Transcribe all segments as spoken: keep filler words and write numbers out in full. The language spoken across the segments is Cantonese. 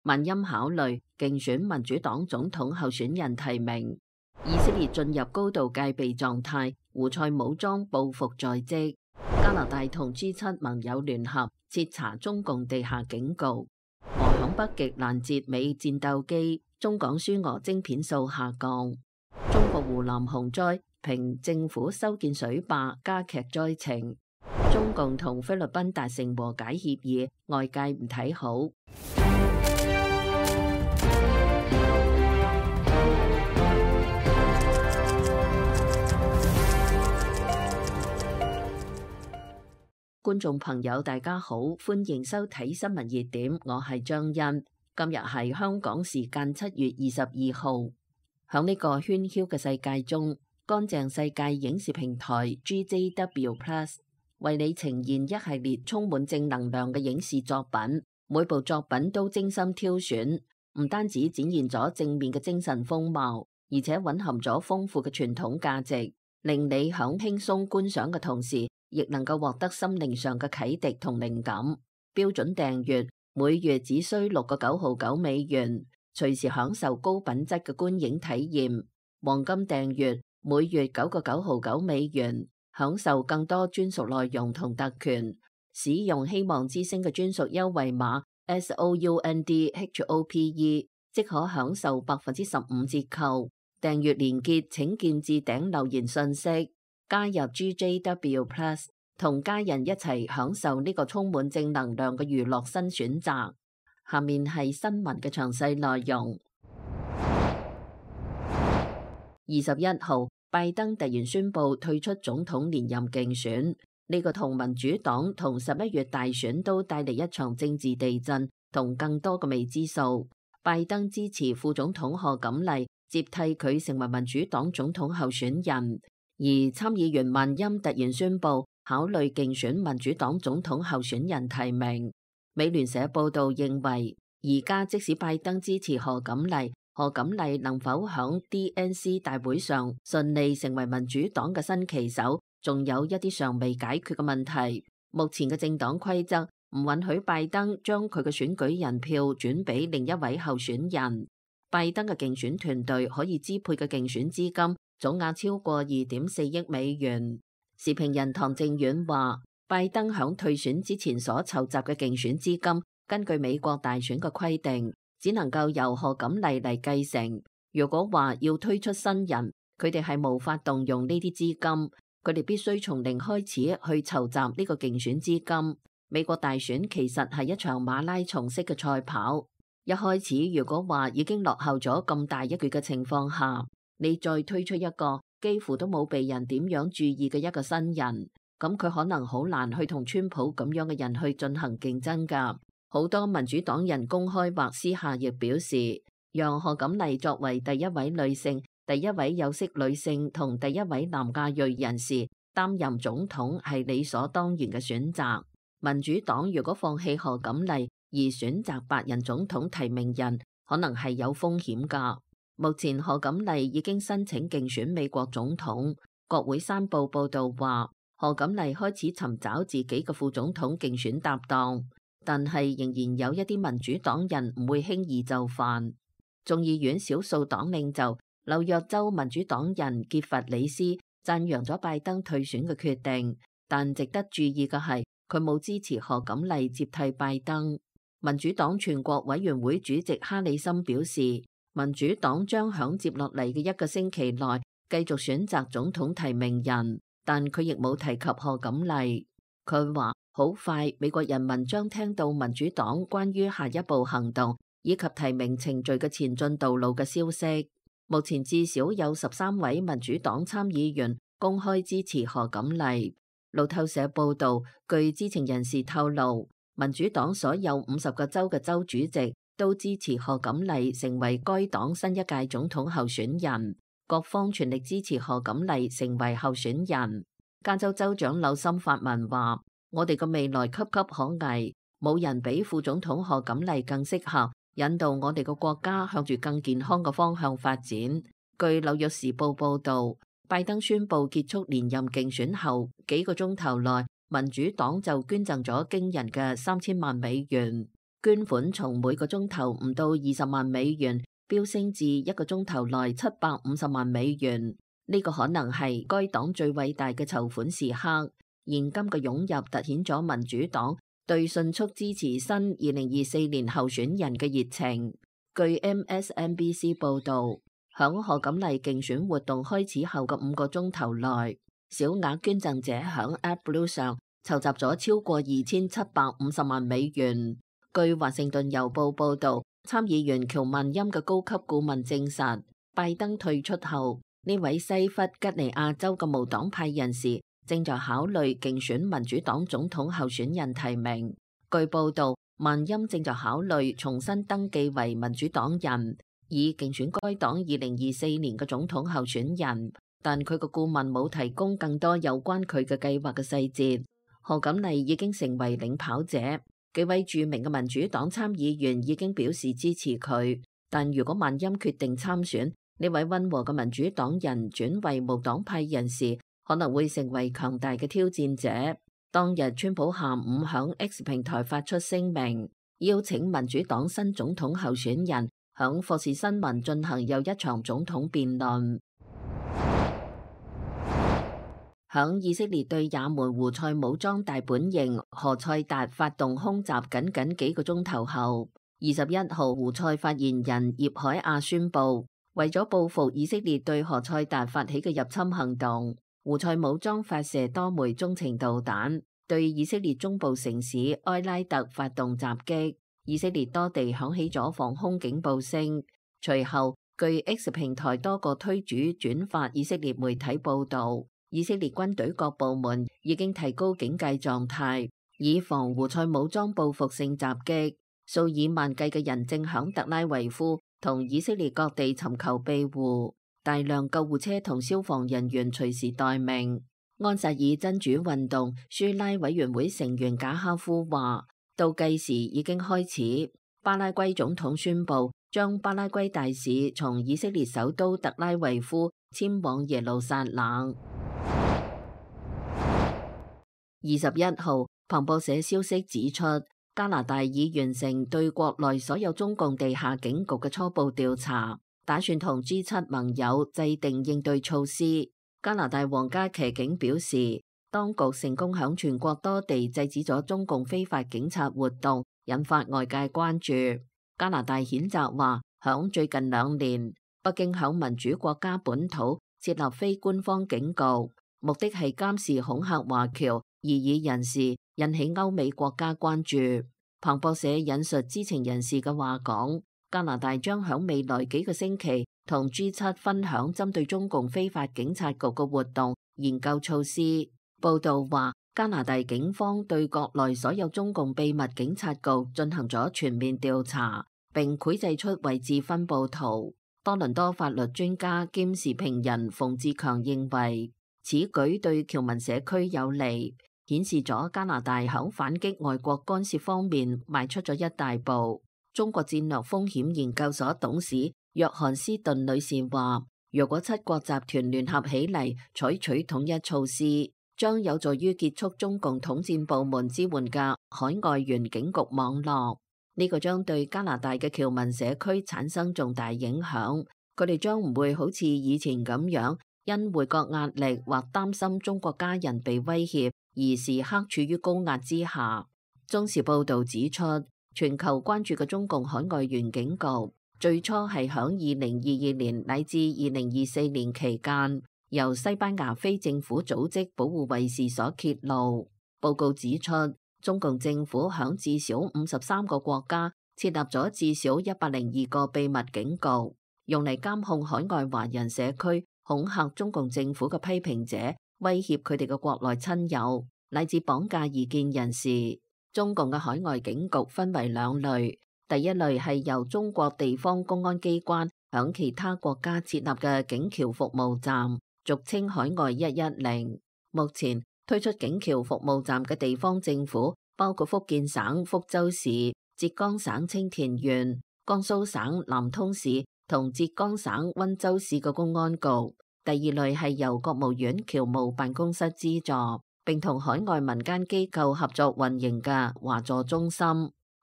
萬欽考慮競選民主黨總統候選人提名。以色列進入高度戒備狀態，胡塞武裝報復在即。加拿大同 G 七盟友聯合徹查中共地下警局。俄響北極攔截美戰鬥機，中港輸俄晶片數下降。中國湖南洪災，評政府修建水壩加劇災情。中共同菲律賓達成和解協議，外界唔睇好。觀眾朋友大家好，歡迎收睇新聞熱點，我係張欣。今日係香港時間七月二十二號。響呢個喧囂嘅世界中，乾淨世界影視平台 G J W Plus 為你呈現一系列充滿正能量嘅影視作品，每部作品都精心挑選，唔單止展現咗正面嘅精神風貌，而且蘊含咗豐富嘅傳統價值，令你響輕鬆觀賞嘅同時，亦能夠獲得心靈上嘅啟迪同靈感。標準訂閱每月只需六個九毫九美元，隨時享受高品質嘅觀影體驗。黃金訂閱每月九個九毫九美元，享受更多專屬內容同特權。使用希望之星嘅專屬優惠碼 S O U N D H O P E， 即可享受百分之十五折扣。訂閱連結請見置頂留言信息。加入 G J W Plus， 同家人一齊享受呢個充滿正能量嘅娛樂新選擇。下面係新聞嘅詳細內容。二十一號，拜登突然宣布退出總統連任競選，呢個同民主黨同十一月大選都帶嚟一場政治地震同更多嘅未知數。拜登支持副總統賀錦麗接替佢成為民主黨總統候選人。而參議員萬欽突然宣布考慮競選民主黨總統候選人提名。美聯社報道認為，而家即使拜登支持賀錦麗，賀錦麗能否響 D N C 大會上順利成為民主黨嘅新旗手，仲有一啲尚未解決嘅問題。目前嘅政黨規則唔允許拜登將佢嘅選舉人票轉俾另一位候選人。拜登嘅競選團隊可以支配嘅競選資金總額超過二點四億美元。時評人唐正遠話，拜登響退選之前所籌集嘅競選資金，根據美國大選嘅規定，只能夠由賀錦麗嚟繼承。如果話要推出新人，佢哋係無法動用呢啲資金，佢哋必須從零開始去籌集呢個競選資金。美國大選其實係一場馬拉松式嘅賽跑，一開始如果話已經落後咗咁大一橛嘅情況下，你再推出一個幾乎都冇被人點樣注意嘅一個新人，咁佢可能好難去同川普咁樣嘅人去進行競爭㗎。好多民主黨人公開或私下亦表示，讓賀錦麗作為第一位女性、第一位有色女性同第一位南亞裔人士擔任總統係理所當然嘅選擇。民主黨如果放棄賀錦麗而選擇白人總統提名人，可能係有風險㗎。目前賀錦麗已經申請競選美國總統。國會山報報道話，賀錦麗開始尋找自己嘅副總統競選搭檔，但係仍然有一啲民主黨人唔會輕易就範。眾議院少數黨領袖紐約州民主黨人傑弗里斯讚揚咗拜登退選嘅決定，但值得注意嘅係佢冇支持賀錦麗接替拜登。民主黨全國委員會主席哈里森表示，民主黨將響接落嚟嘅一個星期內繼續選擇總統提名人，但佢亦冇提及賀錦麗。佢話好快美國人民將聽到民主黨關於下一步行動以及提名程序嘅前進道路嘅消息。目前至少有十三位民主黨參議員公開支持賀錦麗。路透社報道，據知情人士透露，民主黨所有五十個州嘅州主席都支持賀錦麗成為該黨新一屆總統候選人，各方全力支持賀錦麗成為候選人。加州州長紐森發文話，我哋嘅未來岌岌可危，冇人比副總統賀錦麗更適合引導我哋嘅國家向住更健康嘅方向發展。據紐約時報報道，拜登宣布結束連任競選後幾個鐘頭內，民主黨就捐贈咗驚人嘅三千萬美元。捐款從每個鐘頭唔到二十萬美元飆升至一個鐘頭內七百五十萬美元。呢個可能係該黨最偉大嘅籌款時刻。現金嘅湧入突顯咗民主黨對迅速支持新二零二四年候選人嘅熱情。據 M S N B C 報導，響賀錦麗競選活動開始後嘅五個鐘頭內，小額捐贈者響 AdBlue 上籌集咗超過二千七百五十萬美元。據華盛頓郵報報導，參議員喬萬欽嘅高級顧問證實，拜登退出後，呢位西弗吉尼亞州嘅無黨派人士正在考慮競選民主黨總統候選人提名。據報導，萬欽正在考慮重新登記為民主黨人，以競選該黨二零二四年嘅總統候選人，但佢個顧問冇提供更多有關佢嘅計劃嘅細節。賀錦麗已經成為領跑者，幾位著名嘅民主黨參議員已經表示支持佢，但如果萬欽決定參選，呢位溫和嘅民主黨人轉為無黨派人士，可能會成為強大嘅挑戰者。當日，川普下午響 X 平台發出聲明，邀請民主黨新總統候選人響霍士新聞進行又一場總統辯論。響以色列對也門胡塞武裝大本營何塞達發動空襲僅僅幾個鐘頭後，二十一號胡塞發言人葉海亞宣布，為咗報復以色列對何塞達發起嘅入侵行動，胡塞武裝發射多枚中程導彈，對以色列中部城市埃拉特發動襲擊。以色列多地響起咗防空警報聲。隨後，據 X 平台多個推主轉發以色列媒體報導，以色列軍隊各部門已經提高警戒狀態，以防胡塞武裝報復性襲擊。數以萬計嘅人正響特拉維夫同以色列各地尋求庇護，大量救護車同消防人員隨時待命。安薩爾真主運動舒拉委員會成員賈哈夫話，倒計時已經開始。巴拉圭總統宣布將巴拉圭大使從以色列首都特拉維夫遷往耶路撒冷。二十一號，彭博社消息指出，加拿大已完成對國內所有中共地下警局嘅初步調查，打算同 G 七盟友制定應對措施。加拿大皇家騎警表示，當局成功響全國多地制止咗中共非法警察活動，引發外界關注。加拿大譴責話，響最近兩年，北京響民主國家本土設立非官方警局，目的係監視恐嚇華僑異議人士，引起歐美國家關注。彭博社引述知情人士嘅話講，加拿大將響未來幾個星期同 G 七分享針對中共非法警察局嘅活動研究措施。報道話，加拿大警方對國內所有中共秘密警察局進行咗全面調查，並繪製出位置分佈圖。多倫多法律專家兼時評人馮志強認為，此舉對僑民社區有利，顯示咗加拿大響反擊外國干涉方面邁出咗一大步。中國戰略風險研究所董事約翰斯頓女士話，如果七國集團聯合起嚟採取統一措施，將有助於結束中共統戰部門支援嘅海外援警局網絡。呢個將對加拿大嘅僑民社區產生重大影響，佢哋將唔會好似以前咁樣因回國壓力或擔心中國家人被威脅而時刻處於高壓之下。中時報道指出，全球關注嘅中共海外援警局最初係響二零二二年乃至二零二四年期間，由西班牙非政府組織保護衛士所揭露。報告指出，中共政府響至少五十三個國家設立咗至少一百零二個秘密警局，用嚟監控海外華人社區，恐嚇中共政府嘅批評者，威脅佢哋嘅國內親友，乃至綁架異見人士。中共嘅海外警局分為兩類，第一類係由中國地方公安機關響其他國家設立嘅警僑服務站，俗稱海外一一零。目前推出警僑服務站嘅地方政府包括福建省福州市、浙江省青田縣、江蘇省南通市同浙江省溫州市嘅公安局。第二類係由國務院僑務辦公室資助，並同海外民間機構合作運營嘅華助中心。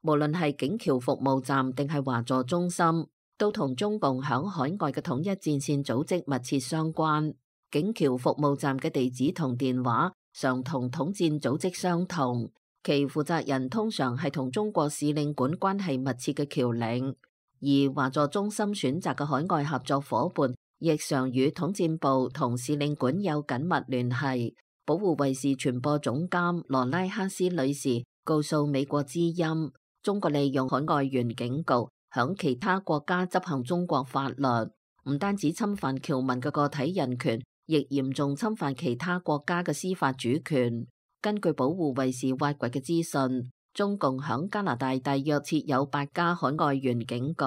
無論係警僑服務站定係華座中心，都同中共響海外嘅統一戰線組織密切相關。警僑服務站嘅地址同電話常同統戰組織相同，其負責人通常係同中國使領館關係密切嘅僑領，而華座中心選擇嘅海外合作夥伴亦常與統戰部同使領館有緊密聯繫。保護衛士傳播總監羅拉克斯女士告訴美國之音，中國利用海外員警局響其他國家執行中國法律，唔單止侵犯僑民嘅個體人權，亦嚴重侵犯其他國家嘅司法主權。根據保護衛士挖掘嘅資訊，中共響加拿大大約設有八家海外員警局，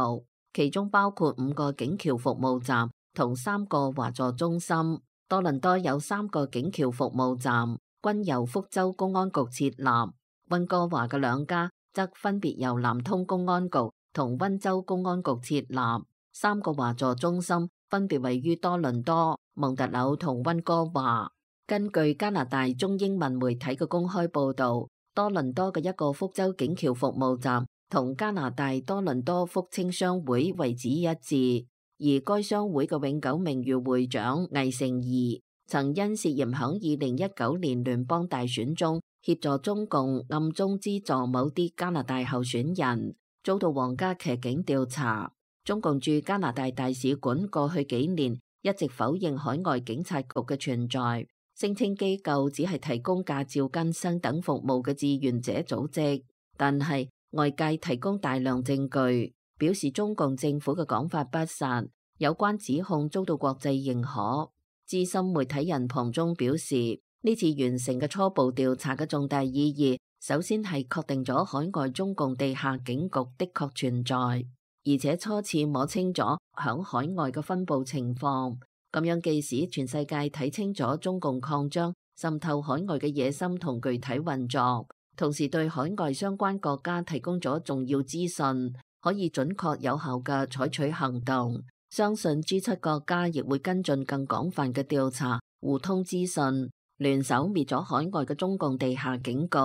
其中包括五個警僑服務站同三個華座中心。多倫多有三個警僑服務站，均由福州公安局設立。溫哥華嘅兩家則分別由南通公安局同溫州公安局設立。三個華座中心分別位於多倫多、蒙特婁同溫哥華。根據加拿大中英文媒體嘅公開報導，多倫多嘅一個福州警僑服務站同加拿大多倫多福清商會位置一致。而該商會嘅永久名譽會長魏成儀曾因涉嫌響二零一九年聯邦大選中協助中共暗中資助某啲加拿大候選人，遭到皇家騎警調查。中共駐加拿大大使館過去幾年一直否認海外警察局嘅存在，聲稱機構只係提供駕照更新等服務嘅志願者組織，但係外界提供大量證據，表示中共政府嘅講法不實，有關指控遭到國際認可。資深媒體人龐中表示，呢次完成嘅初步調查嘅重大意義，首先係確定咗海外中共地下警局的確存在，而且初次摸清咗響海外嘅分佈情況。咁樣既使全世界睇清楚中共擴張滲透海外嘅野心同具體運作，同時對海外相關國家提供咗重要資訊，可以準確有效嘅採取行動。相信 G 七國家亦會跟進更廣泛嘅調查，互通資訊，聯手滅咗海外嘅中共地下警局。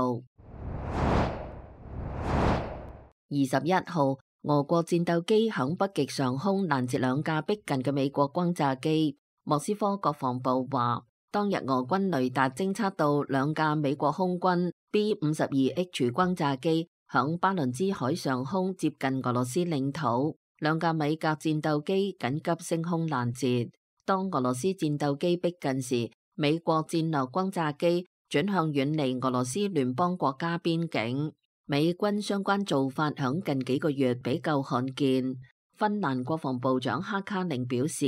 二十一號，俄國戰鬥機響北極上空攔截兩架逼近嘅美國轟炸機。莫斯科國防部話，當日俄軍雷達偵測到兩架美國空軍 B 五十二 H 轟炸機響巴倫支海上空接近俄羅斯領土，兩架米格戰鬥機緊急升空攔截。當俄羅斯戰鬥機逼近時，美國戰略轟炸機轉向遠離俄羅斯聯邦國家邊境。美軍相關做法響近幾個月比較罕見。芬蘭國防部長哈卡寧表示，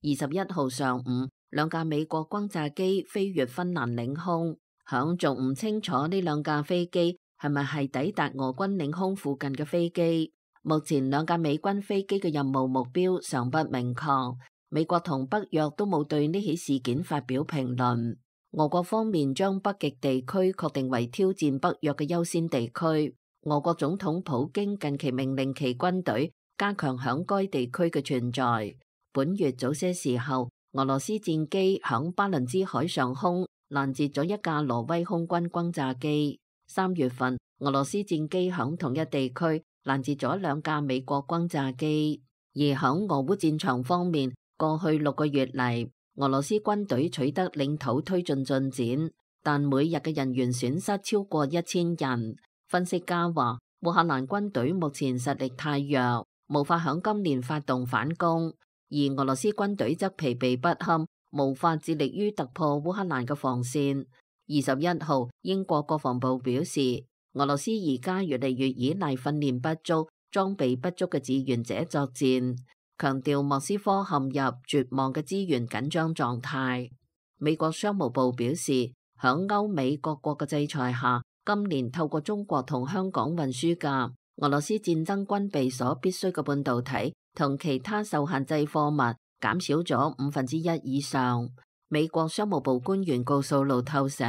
二十一號上午，兩架美國轟炸機飛越芬蘭領空，響仲唔清楚呢兩架飛機係咪係抵達俄軍領空附近嘅飛機。目前兩架美軍飛機嘅任務目標尚不明確。美國同北約都冇對呢起事件發表評論。俄國方面將北極地區確定為挑戰北約嘅優先地區。俄國總統普京近期命令其軍隊加強響該地區嘅存在。本月早些時候，俄羅斯戰機響巴倫支海上空攔截咗一架挪威空軍轟炸機。三月份，俄羅斯戰機響同一地區攔截咗兩架美國轟炸機。而響俄烏戰場方面，過去六個月嚟，俄羅斯軍隊取得領土推進進展，但每日嘅人員損失超過一千人。分析家話，烏克蘭軍隊目前實力太弱，無法響今年發動反攻。而俄羅斯軍隊則疲憊不堪，無法致力於突破烏克蘭嘅防線。二十一號，英國國防部表示，俄羅斯而家越嚟越依賴訓練不足、裝備不足嘅志願者作戰，強調莫斯科陷入絕望嘅資源緊張狀態。美國商務部表示，響歐美各國嘅制裁下，今年透過中國同香港運輸嘅俄羅斯戰爭軍備所必須嘅半導體同其他受限制貨物減少咗五分之一以上。美國商務部官員告訴路透社，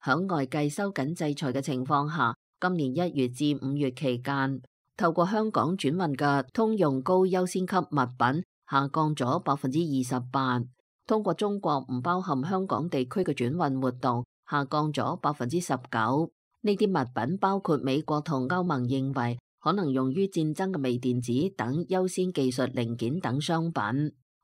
響外界收緊制裁嘅情況下，今年一月至五月期間，透過香港轉運嘅通用高優先級物品下降咗百分之二十八，通過中國唔包含香港地區嘅轉運活動下降咗百分之十九。呢啲物品包括美國同歐盟認為可能用於戰爭嘅微電子等優先技術零件等商品。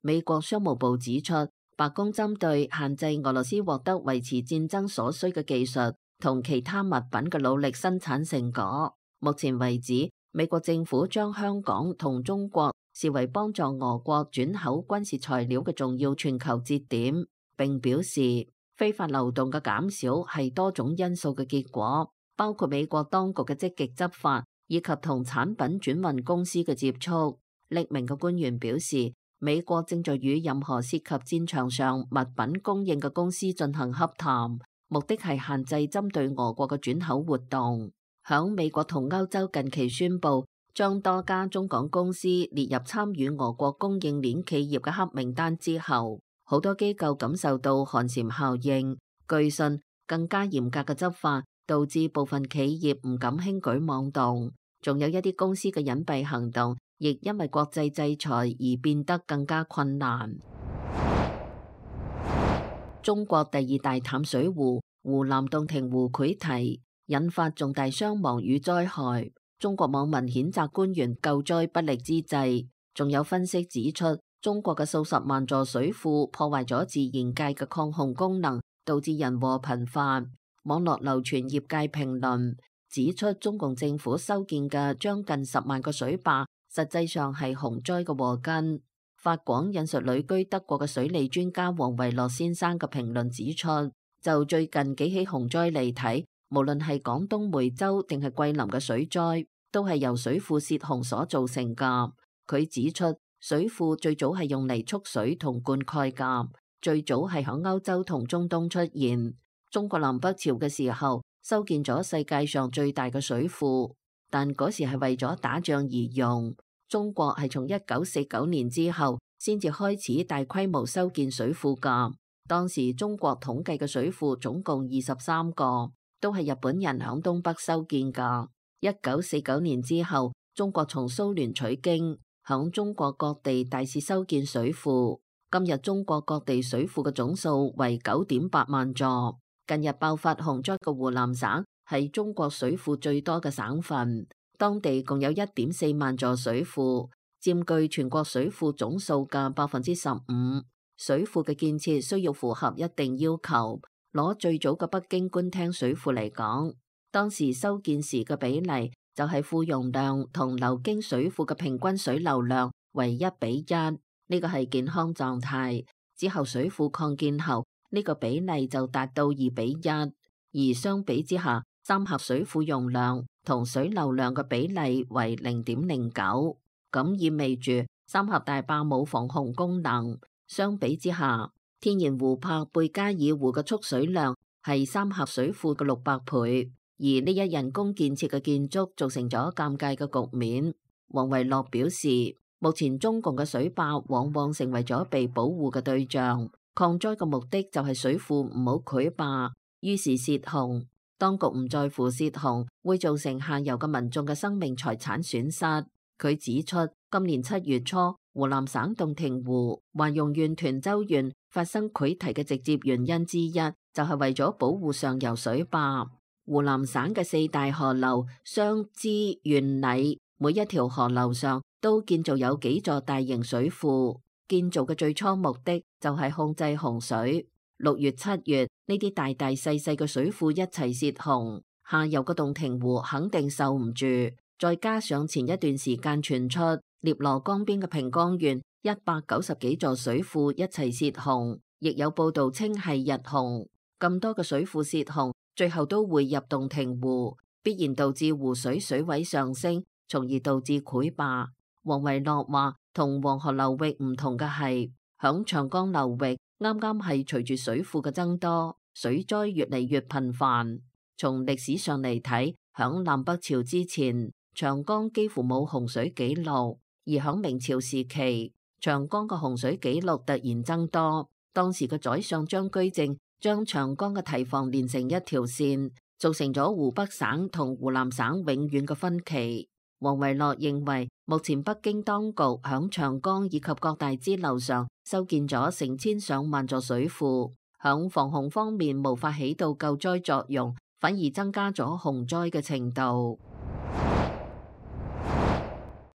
美國商務部指出，白宮針對限制俄羅斯獲得維持戰爭所需嘅技術同其他物品嘅努力生產成果。目前為止，美國政府將香港同中國視為幫助俄國轉口軍事材料嘅重要全球節點，並表示非法流動嘅減少係多種因素嘅結果，包括美國當局嘅積極執法以及同產品轉運公司嘅接觸。匿名嘅官員表示，美國正在與任何涉及戰場上物品供應嘅公司進行洽談，目的係限制針對俄國嘅轉口活動。響美國同歐洲近期宣布將多家中港公司列入參與俄國供應鏈企業嘅黑名單之後，好多機構感受到寒蟬效應。據信，更加嚴格嘅執法導致部分企業唔敢輕舉妄動，仲有一啲公司嘅隱蔽行動亦因為國際制裁而變得更加困難。中國第二大淡水湖湖南洞庭湖潰堤，引發重大傷亡與災害。中國網民譴責官員救災不力之際，仲有分析指出，中國嘅數十萬座水庫破壞咗自然界嘅抗洪功能，導致人禍頻發。網絡流傳業界評論指出，中共政府修建嘅將近十萬個水壩，實際上係洪災嘅禍根。法廣引述旅居德國嘅水利專家王維洛先生嘅評論指出，就最近幾起洪災嚟睇，無論係廣東梅州定係桂林嘅水災，都係由水庫泄洪所造成㗎。佢指出，水庫最早係用嚟蓄水同灌溉㗎，最早係響歐洲同中東出現。中國南北朝嘅時候修建咗世界上最大嘅水庫，但嗰時係為咗打仗而用。中國係從一九四九年之後先至開始大規模修建水庫㗎。當時中國統計嘅水庫總共二十三個，都係日本人響東北修建㗎。一九四九年之後，中國從蘇聯取經，響中國各地大肆修建水庫。今日中國各地水庫嘅總數為九點八萬座。近日爆發洪災嘅湖南省係中國水庫最多嘅省份，當地共有一點四萬座水庫，佔據全國水庫總數嘅百分之十五。水庫嘅建設需要符合一定要求。攞最早嘅北京官廳水庫嚟講，當時修建時嘅比例就係庫容量同流經水庫嘅平均水流量為一比一，呢個係健康狀態。之後水庫擴建後，呢個比例就達到二比一，而相比之下，三峽水庫容量同水流量嘅比例為零點零九，咁意味住三峽大壩冇防洪功能。相比之下，天然湖泊貝加爾湖嘅蓄水量係三峽水庫嘅六百倍，而呢一人工建設嘅建築造成咗尷尬嘅局面。王維洛表示，目前中共嘅水壩往往成為咗被保護嘅對象。抗災嘅目的就係水庫唔好潰壩，於是泄洪。當局唔在乎泄洪會造成下游嘅民眾嘅生命財產損失。佢指出，今年七月初，湖南省洞庭湖華容縣涿州縣發生潰堤嘅直接原因之一，就係為咗保護上游水壩。湖南省嘅四大河流湘支縣澧，每一條河流上都建造有幾座大型水庫。建造嘅最初目的就係控制洪水。六月、七月呢啲大大細細嘅水庫一齊泄洪，下游嘅洞庭湖肯定受唔住。再加上前一段時間傳出滒羅江邊嘅平江縣一百九十幾座水庫一齊泄洪，亦有報道稱係日洪。咁多嘅水庫泄洪，最後都匯入洞庭湖，必然導致湖水水位上升，從而導致潰壩。王維洛話，同黃河流域唔同嘅係，響長江流域啱啱係隨住水庫嘅增多，水災越嚟越頻繁。從歷史上嚟睇，響南北朝之前，長江幾乎冇洪水記錄，而響明朝時期，長江嘅洪水記錄突然增多。當時嘅宰相張居正將長江嘅堤防連成一條線，造成咗湖北省同湖南省永遠嘅分歧。王維洛認為，目前北京當局響長江以及各大支流上修建咗成千上萬座水庫，響防洪方面無法起到救災作用，反而增加咗洪災嘅程度。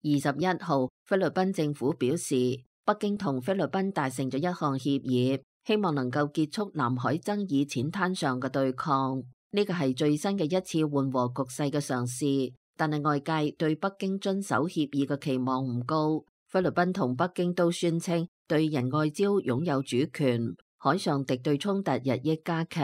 二十一號，菲律賓政府表示，北京同菲律賓達成咗一項協議，希望能夠結束南海爭議淺灘上嘅對抗。呢個係最新嘅一次緩和局勢嘅嘗試，但係外界對北京遵守協議嘅期望唔高。菲律賓同北京都宣稱對仁愛礁擁有主權，海上敵對衝突日益加劇。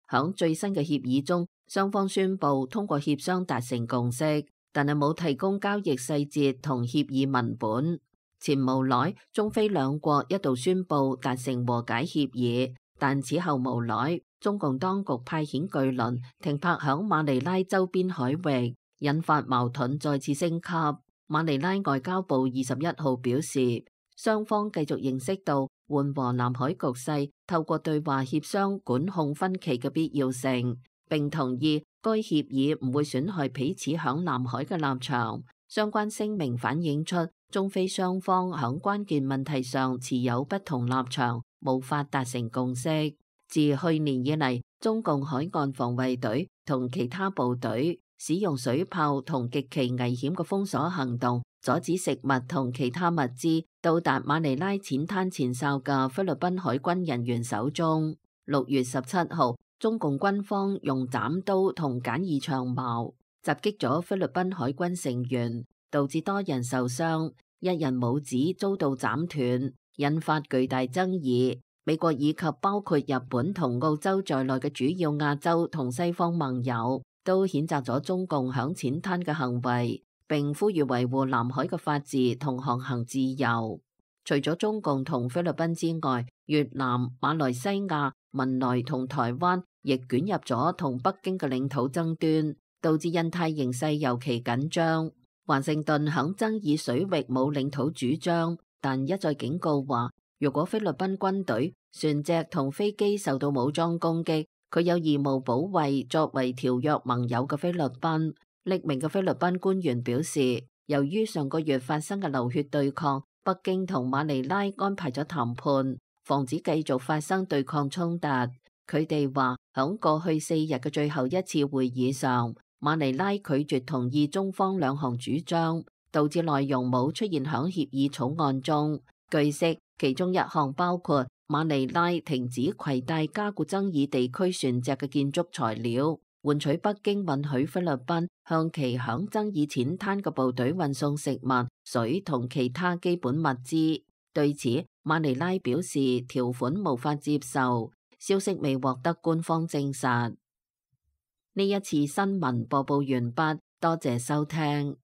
響最新嘅協議中，雙方宣布通過協商達成共識，但係冇提供交易細節同協議文本。前無耐，中菲兩國一度宣布達成和解協議，但此後無耐，中共當局派遣巨輪停泊響馬尼拉周邊海域，引發矛盾再次升級。馬尼拉外交部二十一號表示，雙方繼續認識到緩和南海局勢，透過對話協商管控分歧嘅必要性，並同意該協議唔會損害彼此響南海嘅立場。相關聲明反映出中菲雙方響關鍵問題上持有不同立場，無法達成共識。自去年以嚟，中共海岸防衛隊同其他部隊使用水炮同極其危險嘅封鎖行動，阻止食物同其他物資到達馬尼拉淺灘前哨嘅菲律賓海軍人員手中。六月十七號，中共軍方用斬刀同簡易長矛襲擊咗菲律賓海軍成員，導致多人受傷，一人拇指遭到斬斷，引發巨大爭議。美國以及包括日本同澳洲在內嘅主要亞洲同西方盟友都譴責咗中共響淺灘嘅行為，並呼籲維護南海嘅法治同航行自由。除咗中共同菲律賓之外，越南、馬來西亞、文萊同台灣亦捲入咗同北京嘅領土爭端，導致印太形勢尤其緊張。華盛頓響爭議水域冇領土主張，但一再警告話，如果菲律賓軍隊、船隻同飛機受到武裝攻擊，佢有義務保衛作為條約盟友嘅菲律賓。匿名嘅菲律賓官員表示，由於上個月發生嘅流血對抗，北京同馬尼拉安排咗談判，防止繼續發生對抗衝突。佢哋話，響過去四日嘅最後一次會議上，馬尼拉拒絕同意中方兩項主張，導致內容冇出現響協議草案中。據悉，其中一項包括馬尼拉停止攜帶加固爭議地區船隻嘅建築材料，換取北京允許菲律賓向其響爭議淺灘嘅部隊運送食物、水同其他基本物資。對此，馬尼拉表示條款無法接受，消息未獲得官方證實。呢一次新聞播報完畢，多謝收聽。